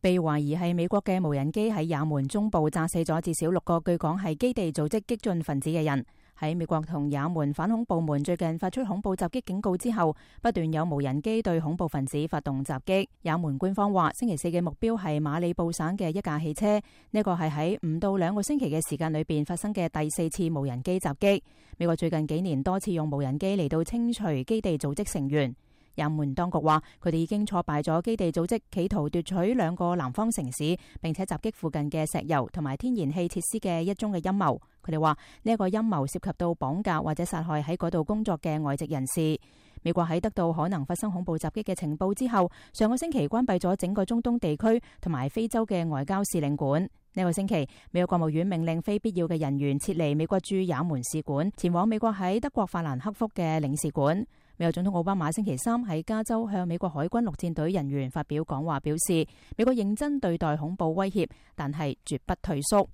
被懷疑係美國嘅無人機喺也門中部炸死咗至少6個據講係基地組織激進分子嘅人。喺美國同也門反恐部門最近發出恐怖襲擊警告之後，不斷有無人機對恐怖分子發動襲擊。也門官方話，星期四嘅目標係馬里布省嘅一架汽車，呢個係喺唔到2個星期嘅時間裏邊發生嘅第4次無人機襲擊。美國最近幾年多次用無人機嚟到清除基地組織成員。也門當局話，佢哋已經挫敗咗基地組織企圖奪取2個南方城市，並且襲擊附近嘅石油同埋天然氣設施嘅一宗嘅陰謀。佢哋話呢一個陰謀涉及到綁架或者殺害喺嗰度工作嘅外籍人士。美國喺得到可能發生恐怖襲擊嘅情報之後，上個星期關閉咗整個中東地區同埋非洲嘅外交使領館。呢個星期，美國國務院命令非必要嘅人員撤離美國駐也門使館，前往美國喺德國法蘭克福嘅領事館。美國總統奧巴馬星期三喺加州向美國海軍陸戰隊人員發表講話，表示美國認真對待恐怖威脅，但係絕不退縮。